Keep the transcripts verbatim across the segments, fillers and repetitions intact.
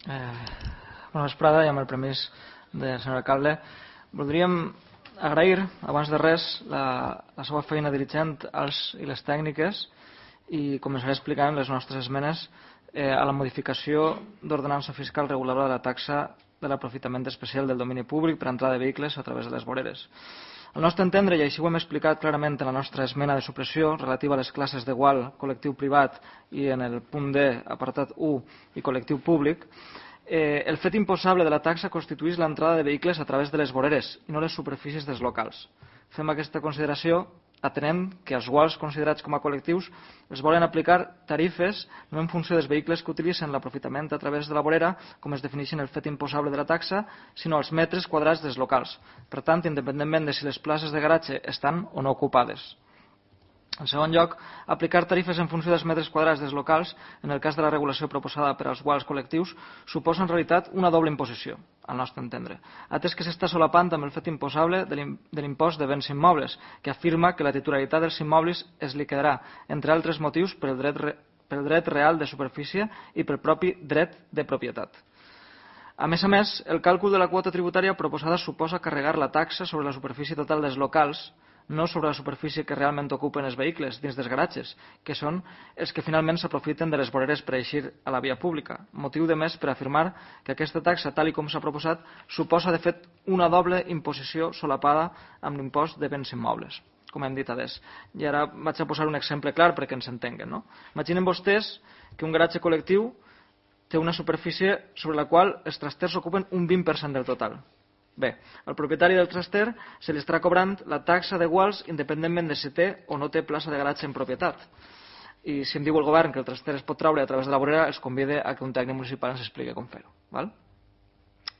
Eh, bona vesprada, i amb el permís del senyor alcalde, voldríem agrair, abans de res, la, la seva feina dirigent als i les tècniques i començaré explicant les nostres esmenes eh, a la modificació d'ordenança fiscal reguladora de la taxa de l'aprofitament especial del domini públic per entrada de vehicles a través de les voreres. Al nostre entendre, i així ho hem explicat clarament en la nostra esmena de supressió relativa a les classes d'igual, col·lectiu privat i en el punt D, apartat u i col·lectiu públic, eh, el fet imposable de la taxa constitueix l'entrada de vehicles a través de les voreres i no les superfícies dels locals. Fem aquesta consideració atenent que els guals considerats com a col·lectius es volen aplicar tarifes no en funció dels vehicles que utilitzen l'aprofitament a través de la vorera, com es defineixen el fet imposable de la taxa, sinó als metres quadrats dels locals. Per tant, independentment de si les places de garatge estan o no ocupades. En segon lloc, aplicar tarifes en funció dels metres quadrats dels locals, en el cas de la regulació proposada per als guals col·lectius, suposa en realitat una doble imposició, al nostre entendre, atès que s'està solapant amb el fet imposable de l'impost de béns immobles, que afirma que la titularitat dels immobles es liquidarà, entre altres motius, pel dret, pel dret real de superfície i pel propi dret de propietat. A més a més, el càlcul de la quota tributària proposada suposa carregar la taxa sobre la superfície total dels locals, no sobre la superfície que realment ocupen els vehicles dins dels garatges, que són els que finalment s'aprofiten de les voreres per eixir a la via pública. Motiu de més per afirmar que aquesta taxa, tal i com s'ha proposat, suposa de fet una doble imposició solapada amb l'impost de béns immobles, com hem dit adés. I ara vaig a posar un exemple clar perquè ens entenguen. No? Imaginen vostès que un garatge col·lectiu té una superfície sobre la qual els trasters ocupen un vint per cent del total. Bé, al propietari del traster se li estarà cobrant la taxa d'iguals independentment de si té o no té plaça de garatge en propietat. I si em diu el govern que el traster es pot treure a través de la vorera, els convide a que un tècnic municipal ens expliqui com fer-ho. Val?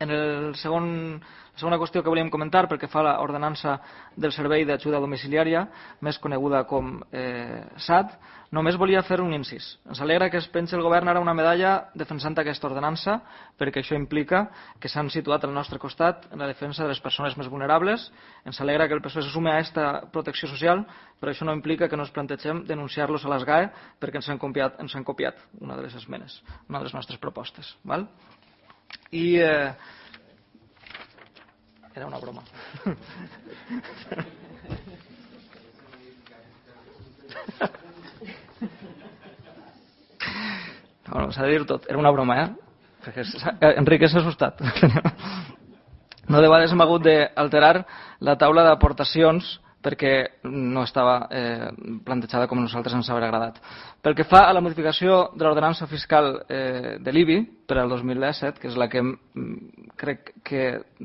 En el segon, la segona qüestió que volíem comentar, pel que fa a l'ordenança del Servei d'Ajuda Domiciliària, més coneguda com eh, S A D, només volia fer un incís. Ens alegra que es pensi el govern ara una medalla defensant aquesta ordenança, perquè això implica que s'han situat al nostre costat en la defensa de les persones més vulnerables. Ens alegra que el P S O E se sume a aquesta protecció social, però això no implica que no ens plantegem denunciar-los a les G A E perquè ens han copiat, ens han copiat una de les esmenes, una de les nostres propostes. Val? I eh, era una broma. No, s'ha de dir tot, era una broma, eh? Perquè Enrique s'ha assustat. No de vegades hem hagut d'alterar la taula d'aportacions perquè no estava eh, plantejada com a nosaltres ens hauria agradat. Pel que fa a la modificació de l'ordenança fiscal eh, de l'I B I per al dos mil disset, que és la que mm, crec que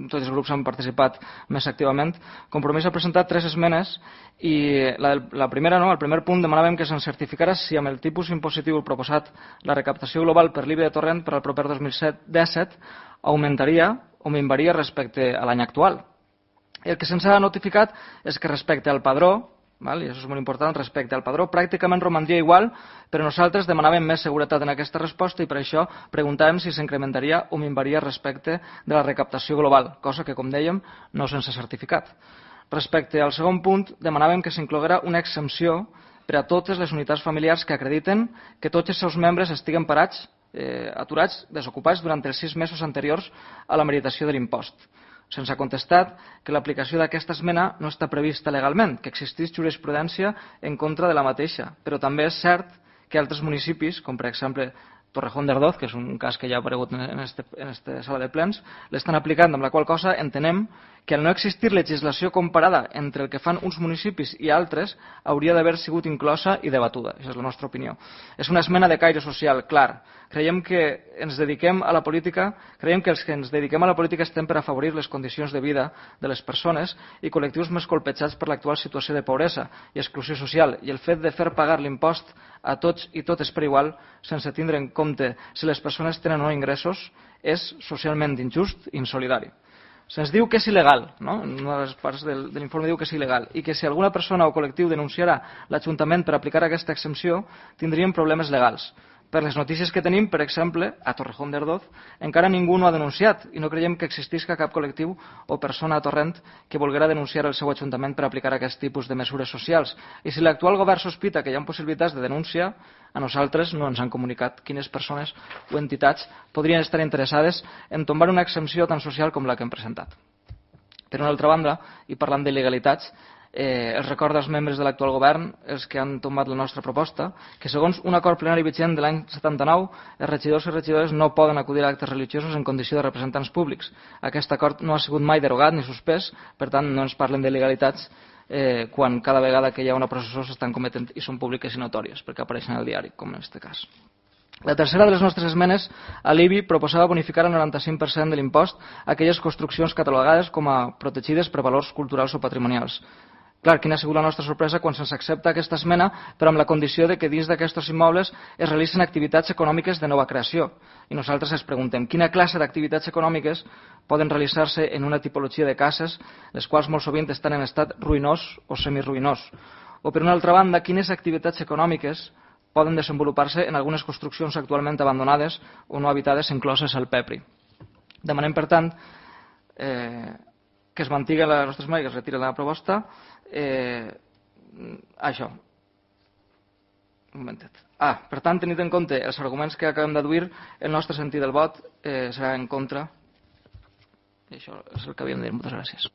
tots els grups han participat més activament, Compromís ha presentat tres esmenes i la, la primera, no, el primer punt, demanàvem que se'n certificara si amb el tipus impositiu proposat la recaptació global per l'I B I de Torrent per al proper dos mil disset augmentaria o minvaria respecte a l'any actual. El que se'ns ha notificat és que respecte al padró, val, i això és molt important, respecte al padró, pràcticament romandria igual, però nosaltres demanàvem més seguretat en aquesta resposta i per això preguntàvem si s'incrementaria o minvaria respecte de la recaptació global, cosa que, com dèiem, no se'ns ha certificat. Respecte al segon punt, demanàvem que s'incloguera una exempció per a totes les unitats familiars que acrediten que tots els seus membres estiguen parats, eh, aturats, desocupats durant els sis mesos anteriors a la meritació de l'impost. Se'ns ha contestat que l'aplicació d'aquesta esmena no està prevista legalment, que existeix jurisprudència en contra de la mateixa, però també és cert que altres municipis, com per exemple Torrejón de Ardoz, que és un cas que ja ha aparegut en aquesta en este sala de plens, l'estan aplicant, amb la qual cosa entenem que al no existir legislació comparada entre el que fan uns municipis i altres, hauria d'haver sigut inclosa i debatuda. Aquesta és la nostra opinió. És una esmena de caire social, clar. Creiem que ens dediquem a la política, creiem que els que ens dediquem a la política estem per afavorir les condicions de vida de les persones i col·lectius més colpejats per l'actual situació de pobresa i exclusió social, i el fet de fer pagar l'impost a tots i totes per igual, sense tindre en compte si les persones tenen o no ingressos, és socialment injust i insolidari. Se'ns diu que és il·legal, no? En una de les parts del, de l'informe diu que és il·legal, i que si alguna persona o col·lectiu denunciarà l'Ajuntament per aplicar aquesta exempció, tindrien problemes legals. Per les notícies que tenim, per exemple, a Torrejón d'Ardoz, encara ningú no ha denunciat i no creiem que existisca cap col·lectiu o persona a Torrent que volguera denunciar el seu ajuntament per aplicar aquest tipus de mesures socials. I si l'actual govern sospita que hi ha possibilitats de denúncia, a nosaltres no ens han comunicat quines persones o entitats podrien estar interessades en tombar una exempció tan social com la que hem presentat. Per una altra banda, i parlant d'il·legalitats, Eh, els recorda als membres de l'actual govern, els que han tombat la nostra proposta, que segons un acord plenari vigent de l'any setanta-nou, els regidors i regidores no poden acudir a actes religiosos en condició de representants públics. Aquest acord no ha sigut mai derogat ni suspès, per tant no ens parlen d'il·legalitats eh, quan cada vegada que hi ha una processó s'estan cometent i són públiques i notòries, perquè apareixen al diari, com en aquest cas. La tercera de les nostres esmenes a l'I B I proposava bonificar el noranta-cinc per cent de l'impost a aquelles construccions catalogades com a protegides per valors culturals o patrimonials. Clar, quina ha sigut la nostra sorpresa quan se'ns accepta aquesta esmena, però amb la condició de que dins d'aquests immobles es realicen activitats econòmiques de nova creació. I nosaltres ens preguntem quina classe d'activitats econòmiques poden realitzar-se en una tipologia de cases, les quals molt sovint estan en estat ruïnós o semiruïnós. O per una altra banda, quines activitats econòmiques poden desenvolupar-se en algunes construccions actualment abandonades o no habitades incloses al P E P R I. Demanem, per tant, eh, que es mantingui la nostra esmena i que es retiri la proposta. Eh, això un momentet. Ah, per tant, tenint en compte els arguments que acabem d'adduir, el nostre sentit del vot eh, serà en contra. I això és el que havíem de dir. Moltes gràcies.